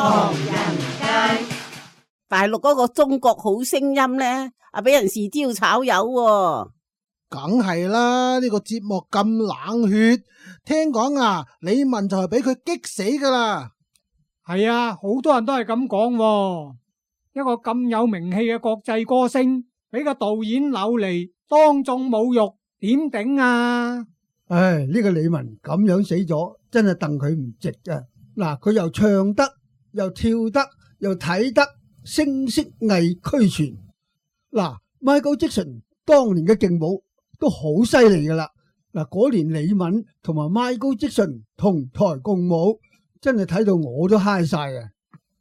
唐人街。大陸嗰個中國好聲音呢，俾人豉椒炒魷喎。梗係啦，呢個節目咁冷血，聽講啊，李玟就係俾佢激死噶啦。係啊，好多人都係咁講喎。一個咁有名氣嘅國際歌星，俾個導演扭嚟當眾侮辱，點頂啊？唉，呢個李玟咁樣死咗，真係戥佢唔值啊！嗱，佢又唱得，又跳得，又睇得，聲色藝俱全。嗱，Michael Jackson 當年嘅勁舞都好犀利噶啦。嗱，嗰年李玟同埋 Michael Jackson 同台共舞，真係睇到我都嗨晒啊！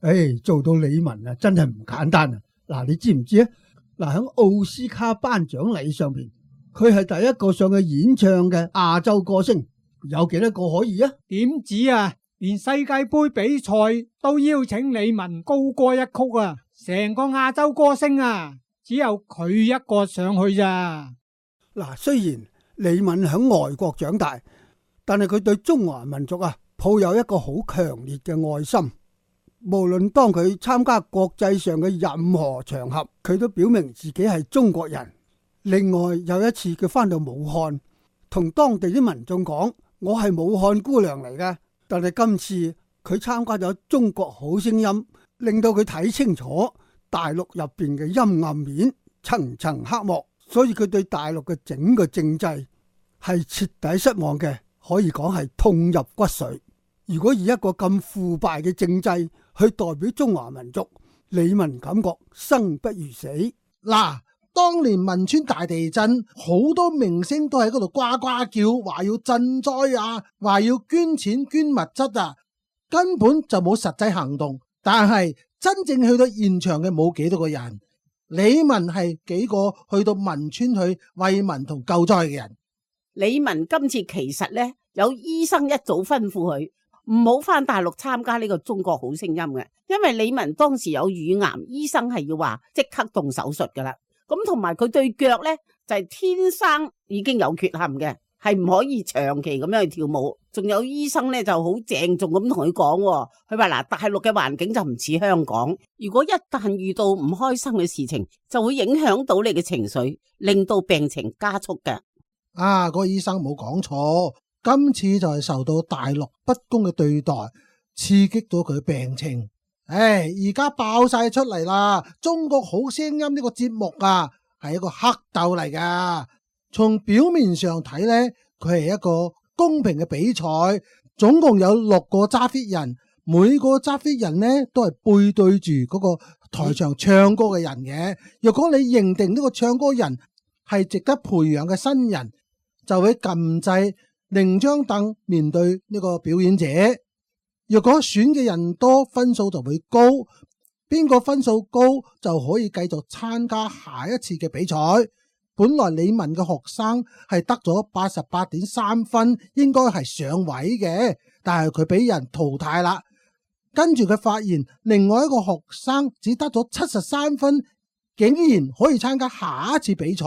唉，做到李玟啊，真係唔簡單啊！嗱，你知唔知啊？嗱，喺奧斯卡頒獎禮上邊，佢係第一個上去演唱嘅亞洲歌星，有幾多個可以啊？點止啊！連世界杯比賽都邀請李玟高歌一曲啊！成個亞洲歌星啊，只有佢一個上去咋。嗱，雖然李玟喺外國長大，但係佢對中華民族啊抱有一個好強烈嘅愛心。無論當佢參加國際上嘅任何場合，佢都表明自己係中國人。另外有一次佢返到武漢，同當地啲民眾講：我係武漢姑娘嚟嘅。但係今次佢參加咗中國好聲音，令到佢睇清楚大陸入邊嘅陰暗面，層層黑幕。所以佢對大陸嘅整個政制係徹底失望嘅，可以講係痛入骨髓。如果以一個咁腐敗嘅政制去代表中華民族，李玟感覺生不如死。嗱，當年汶川大地震，好多明星都喺嗰度呱呱叫，話要賑災啊，話要捐錢捐物質啊，根本就冇實際行動。但係真正去到現場嘅冇幾多個人。李玟係幾個去到汶川去慰問同救災嘅人。李玟今次其實呢，有醫生一早吩咐佢唔好返大陸參加呢個中國好聲音嘅，因為李玟當時有乳癌，醫生係要話即刻動手術噶啦。咁同埋佢對腳呢，就係天生已經有缺陷嘅，係唔可以長期咁樣去跳舞。仲有醫生呢就好鄭重咁同佢講，佢話嗱，大陸嘅環境就唔似香港，如果一旦遇到唔開心嘅事情，就會影響到你嘅情緒，令到病情加速嘅。啊，個醫生冇講錯，今次就係受到大陸不公嘅對待，刺激到佢病情。唉，而家爆晒出嚟啦！中國好聲音呢個節目啊，係一個黑鬥嚟噶。從表面上睇呢，佢係一個公平嘅比賽，總共有6個揸 fit 人，每個揸 fit 人呢都係背對住嗰個台上唱歌嘅人嘅。若果你認定呢個唱歌人係值得培養嘅新人，就會撳掣另張凳面對呢個表演者。若果選嘅人多，分數就會高，邊個分數高就可以繼續參加下一次嘅比賽。本來李玟嘅學生係得咗88.3分，應該係上位嘅，但係佢俾人淘汰啦。跟住佢發現另外一個學生只得咗73分，竟然可以參加下一次比賽。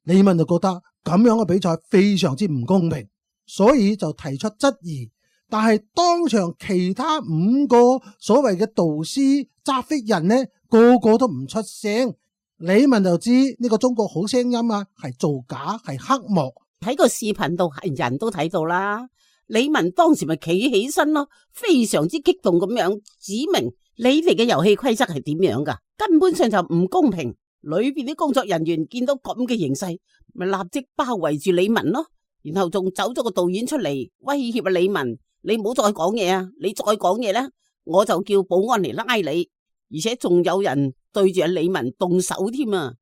李玟就覺得咁樣嘅比賽非常之唔公平，所以就提出質疑。但係當場其他5個所謂嘅導師揸 fit 人呢，個個都唔出聲。李玟就知呢個中國好聲音啊，係造假，係黑幕。喺個視頻度係人都睇到啦。李玟當時咪企起身咯，非常之激動咁樣指明你哋嘅遊戲規則係點樣噶，根本上就唔公平。裏邊啲工作人員見到咁嘅形勢，咪立即包圍住李玟咯，然後仲走咗個導演出嚟威脅啊李玟，你唔好再講嘢啊！你再講嘢咧，我就叫保安嚟拉你。而且仲有人對住阿李玟動手添啊！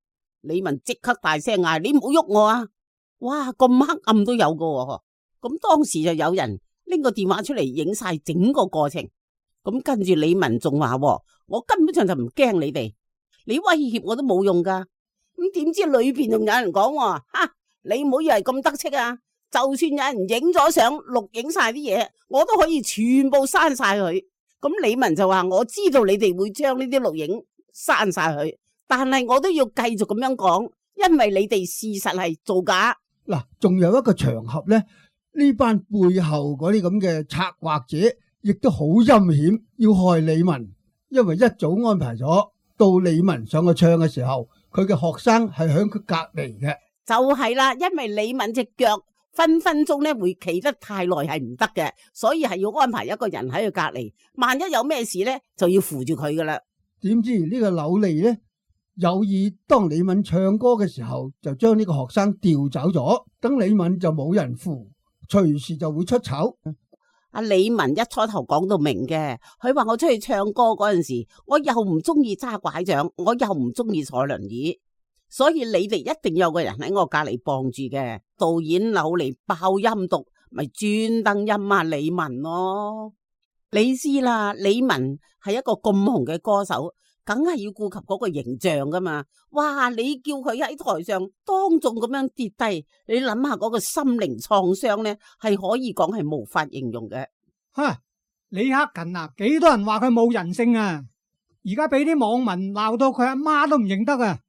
李玟即刻大聲嗌：你唔好喐我啊！哇，咁黑暗都有噶喎。咁當時就有人拎個電話出嚟影晒整個過程。咁跟住李玟仲話：我根本上就唔驚你哋，你威脅我都冇用噶。咁點知裏邊仲有人講：哈，你唔好以為咁得戚啊！就算有人影咗相錄影晒啲嘢，我都可以全部刪晒佢。咁李玟就話：我知道你哋會將呢啲錄影刪晒佢，但係我都要繼續咁樣講，因為你哋事實係造假。嗱，仲有一個場合呢，呢班背後嗰啲咁嘅策劃者亦都好陰險，要害李文，因為一早安排咗到李文上去唱嘅時候，佢嘅學生係響佢隔籬嘅。就係啦，因為李敏隻腳分分鐘咧會企得太耐係唔得嘅，所以係要安排一個人喺佢隔籬，萬一有咩事咧就要扶住佢噶啦。點知呢個柳利呢，有意當李敏唱歌嘅時候，就將呢個學生調走咗，等李敏就冇人扶，隨時就會出醜。阿李文一初頭講到明嘅，佢話我出去唱歌嗰陣時，我又唔中意揸拐杖，我又唔中意坐輪椅。所以你哋一定有個人喺我隔籬傍住嘅。導演扭嚟爆音讀，咪專登陰啊李文咯。你知啦，李文係一個咁紅嘅歌手，梗係要顧及嗰個形象噶嘛。哇，你叫佢喺台上當眾咁樣跌低，你諗下嗰個心靈創傷呢，係可以講係無法形容嘅。哈，李克勤啊，幾多人話佢冇人性啊，而家俾啲網民鬧到佢阿媽都唔認得啊。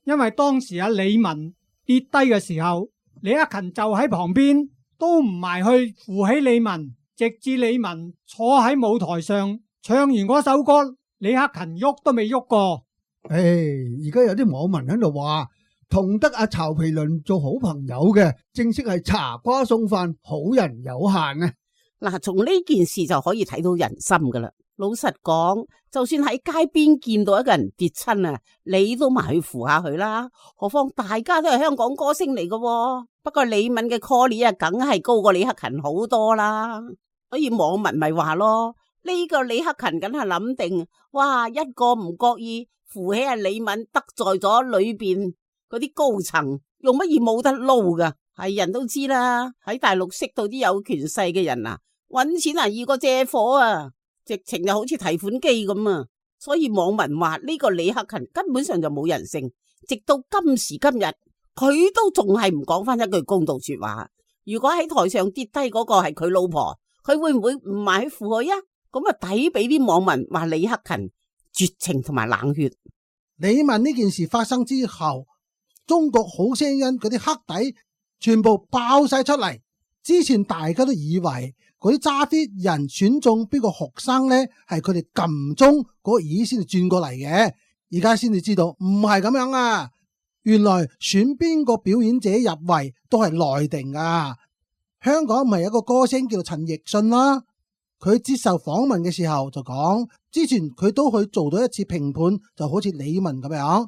因為當時阿李文跌低嘅時候，李克勤就喺旁邊，都唔埋去扶起李文，直至李文坐喺舞台上唱完嗰首歌，李克勤喐都未喐過。而家有啲網民喺度話，同得阿曹皮倫做好朋友嘅，正式係茶瓜送飯，好人有限啊！嗱，從呢件事就可以睇到人心噶啦。老實講，就算喺街邊見到一個人跌親啊，你都埋去扶下佢啦。何況大家都係香港歌星嚟噶，不過李敏嘅 call 啊，梗係高過李克勤好多啦。所以網民咪話咯，呢個李克勤梗係諗定，哇，一個唔覺意扶起阿李敏，得罪咗裏邊嗰啲高層，用乜嘢冇得撈噶？係人都知啦，喺大陸識到啲有權勢嘅人啊，搵錢啊易過借火啊！直情就好似提款機咁啊！所以網民話呢個李克勤根本上就冇人性，直到今時今日佢都仲係唔講翻一句公道說話。如果喺台上跌低嗰個係佢老婆，佢會唔會唔埋去扶佢啊？咁啊抵俾啲網民話李克勤絕情同埋冷血。李敏呢件事發生之後，中國好聲音嗰啲黑底全部爆晒出嚟。之前大家都以為嗰啲揸 fit 人選中邊個學生呢，係佢哋撳鐘嗰個耳先至轉過嚟嘅，而家先至知道唔係咁樣啊！原來選邊個表演者入圍都係內定噶。香港唔係有個歌星叫做陳奕迅啦，佢接受訪問嘅時候就講，之前佢都去做到一次評判，就好似李敏咁樣。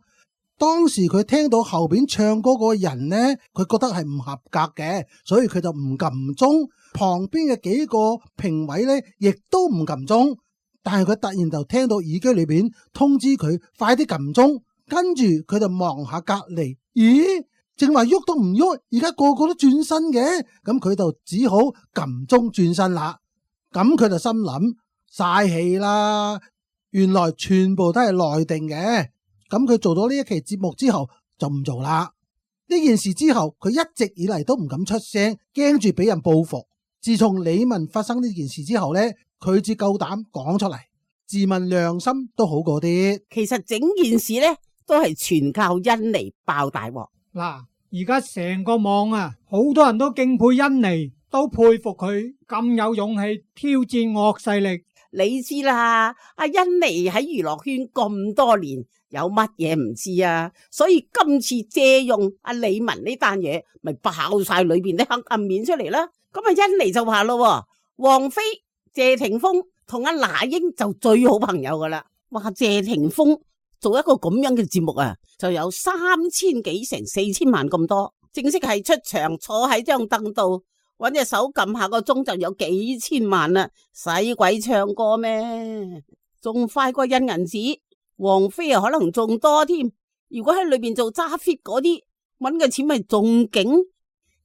當時佢聽到後邊唱歌嗰個人呢，佢覺得係唔合格嘅，所以佢就唔撳鐘。旁邊嘅幾個評委呢，亦都唔撳鐘。但係佢突然就聽到耳機裏邊通知佢快啲撳鐘，跟住佢就望下隔籬，咦，正話喐都唔喐，而家個個都轉身嘅，咁佢就只好撳鐘轉身啦。咁佢就心諗嘥氣啦，原來全部都係內定嘅。咁佢做咗呢一期節目之後就唔做啦。呢件事之後佢一直以嚟都唔敢出聲，驚住俾人報復。自從李敏發生呢件事之後呢，佢至夠膽講出嚟，自問良心都好過啲。其實整件事呢都係全靠甄妮爆大鑊。嗱，而家成個網啊，好多人都敬佩甄妮，都佩服佢咁有勇氣挑戰惡勢力。你知啦，阿甄妮喺娛樂圈咁多年，有乜嘢唔知啊？所以今次借用阿李文呢單嘢，咪爆晒裏邊啲黑暗面出嚟啦。咁啊，甄妮就話咯，王菲、謝霆鋒同阿那英就最好朋友噶啦。話謝霆鋒做一個咁樣嘅節目啊，就有3000幾成4000萬咁多，正式係出場坐喺張凳度，搵隻手撳下個鐘就有幾千萬啦，使鬼唱歌咩？仲快過印銀紙，王菲啊可能仲多添。如果喺裏邊做揸 fit 嗰啲，搵嘅錢咪仲勁。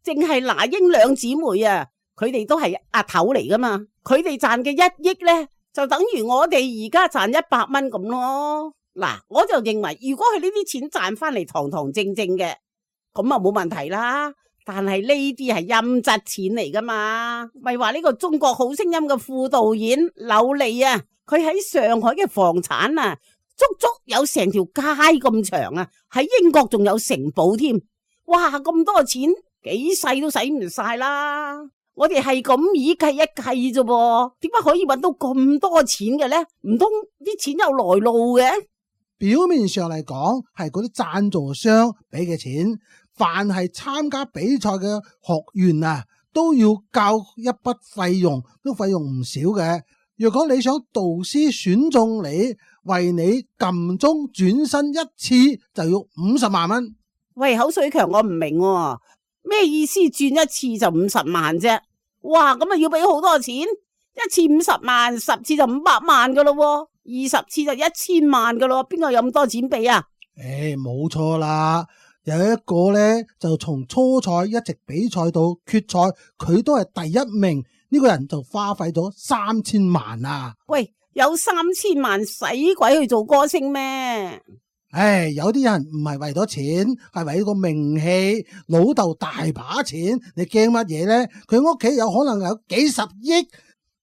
淨係那英兩姊妹啊，佢哋都係阿頭嚟噶嘛，佢哋賺嘅1億呢，就等於我哋而家賺100蚊咁咯。嗱，我就認為如果佢呢啲錢賺翻嚟堂堂正正嘅，咁啊冇問題啦。但係呢啲係陰質錢嚟噶嘛，咪話呢個中國好聲音嘅副導演柳利啊，佢喺上海嘅房產啊，足足有成條街咁長啊，喺英國仲有城堡添。哇，咁多錢幾世都使唔晒啦。我哋係咁以計一計啫噃，點解可以搵到咁多錢嘅呢？唔通啲錢有來路嘅？表面上嚟講係嗰啲贊助商俾嘅錢，凡係參加比賽嘅學員啊，都要交一筆費用，都費用唔少嘅。如果你想導師選中你，為你撳鐘轉身一次就要50萬蚊。喂，口水強，我唔明喎，咩意思？轉一次就50萬啫？哇，咁啊要俾好多錢，一次50萬，10次就500萬噶咯，20次就1000萬噶咯，邊個有咁多錢俾啊？冇錯啦，有一個呢，就從初賽一直比賽到決賽，佢都係第一名，呢個人就花費咗3000萬啊！喂，有3000萬使鬼去做歌星咩？有啲人唔係為咗錢，係為個名氣。老豆大把錢，你驚乜嘢呢？佢屋企有可能有幾十億，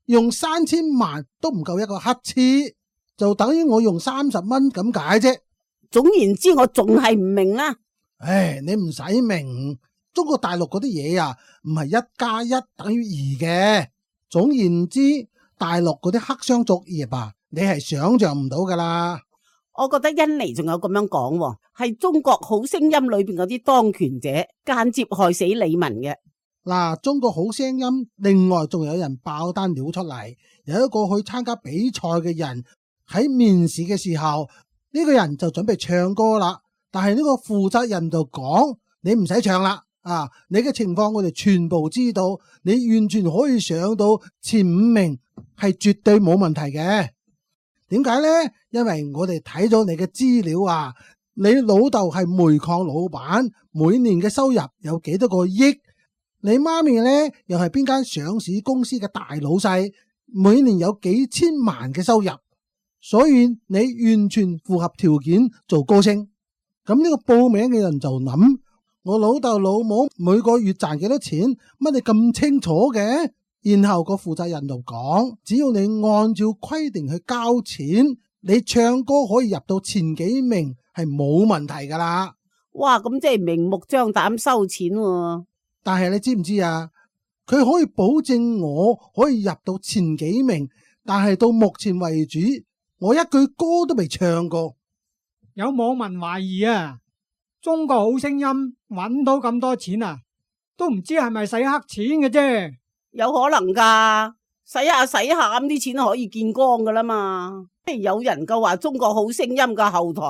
用3000萬都唔夠一個乞嗤，就等於我用30蚊咁解啫。總言之，我仲係唔明啦。你唔使明，中國大陸嗰啲嘢啊，唔係1+1等於2嘅。總言之，大陸嗰啲黑箱作業啊，你係想象唔到噶啦。我覺得印尼仲有咁樣講，係中國好聲音裏邊嗰啲當權者間接害死李玟嘅。嗱，中國好聲音另外仲有人爆單料出嚟，有一個去參加比賽嘅人喺面試嘅時候，呢個人就準備唱歌啦，但係呢個負責人就講：你唔使唱啦，你嘅情況我哋全部知道，你完全可以上到前5名，係絕對冇問題嘅。點解呢？因為我哋睇咗你嘅資料啊，你老豆係煤礦老闆，每年嘅收入有幾多個億？你媽咪呢又係邊間上市公司嘅大老細，每年有幾千萬嘅收入，所以你完全符合條件做歌星。咁呢個報名嘅人就諗：我老豆老母每個月賺幾多錢？乜你咁清楚嘅？然後個負責人就講：只要你按照規定去交錢，你唱歌可以入到前幾名係冇問題噶啦。哇，咁即係明目張膽收錢喎。但係你知唔知啊？佢可以保證我可以入到前幾名，但係到目前為止，我一句歌都未唱過。有網民懷疑啊，中國好聲音搵到咁多錢啊，都唔知係咪洗黑錢嘅啫。有可能噶，洗下洗下咁啲錢可以見光噶啦嘛。有人夠話中國好聲音嘅後台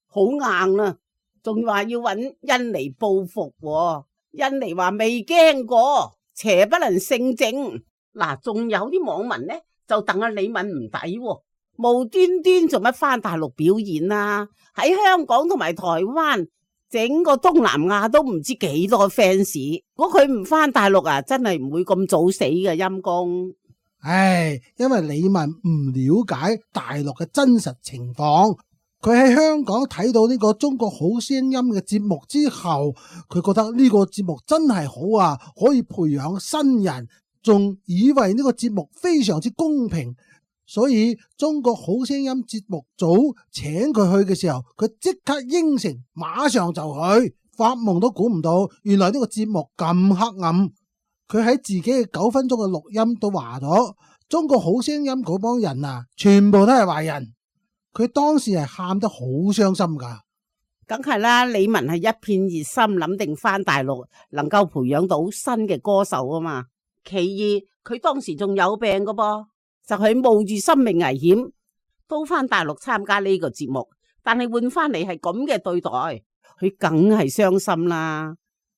好硬啦，仲話要搵印尼報復喎。印尼話未驚過，邪不能勝正。嗱，仲有啲網民呢就戥阿李玟唔抵，無端端做乜返大陸表演啊？喺香港同埋台灣，整個東南亞都唔知幾多 fans。如果佢唔返大陸啊，真係唔會咁早死嘅，陰公。因為李玟唔了解大陸嘅真實情況，佢喺香港睇到呢個中國好聲音嘅節目之後，佢覺得呢個節目真係好啊，可以培養新人，仲以為呢個節目非常之公平，所以中國好聲音節目組請佢去嘅時候，佢即刻應承，馬上就去，發夢都估唔到，原來呢個節目咁黑暗。佢喺自己嘅9分鐘嘅錄音都話咗，中國好聲音嗰幫人啊，全部都係壞人。佢當時係喊得好傷心噶。梗係啦，李玟係一片熱心，諗定返大陸能夠培養到新嘅歌手啊嘛。其二，佢當時仲有病噶噃，就係冒住生命危險都返大陸參加呢個節目，但係換翻嚟係咁嘅對待，佢梗係傷心啦。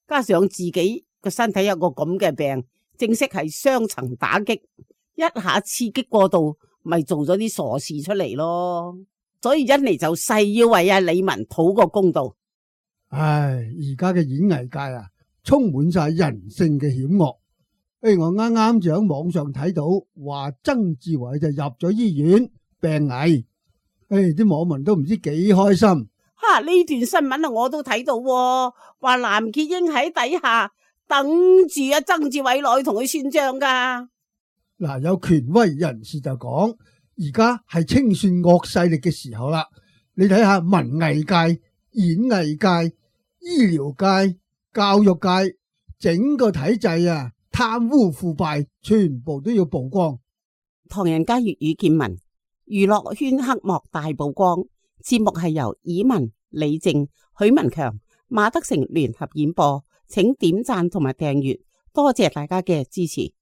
加上自己個身體有個咁嘅病，正式係雙層打擊，一下刺激過度，咪做咗啲傻事出嚟咯。所以印尼就誓要為阿李玟討個公道。而家嘅演藝界啊，充滿晒人性嘅險惡。我啱啱就喺網上睇到，話曾志偉就入咗醫院病危。啲網民都唔知幾開心。呢段新聞啊，我都睇到，話藍潔瑛喺底下等住阿曾志偉落去同佢算賬噶。有權威人士就講，而家係清算惡勢力嘅時候啦。你睇下文藝界、演藝界、醫療界、教育界，整個體制啊，貪污腐敗，全部都要曝光。唐人街粵語見聞，娛樂圈黑幕大曝光。節目係由以文、李靜、許文強、馬德成聯合演播，請點讚同埋訂閱，多謝大家嘅支持。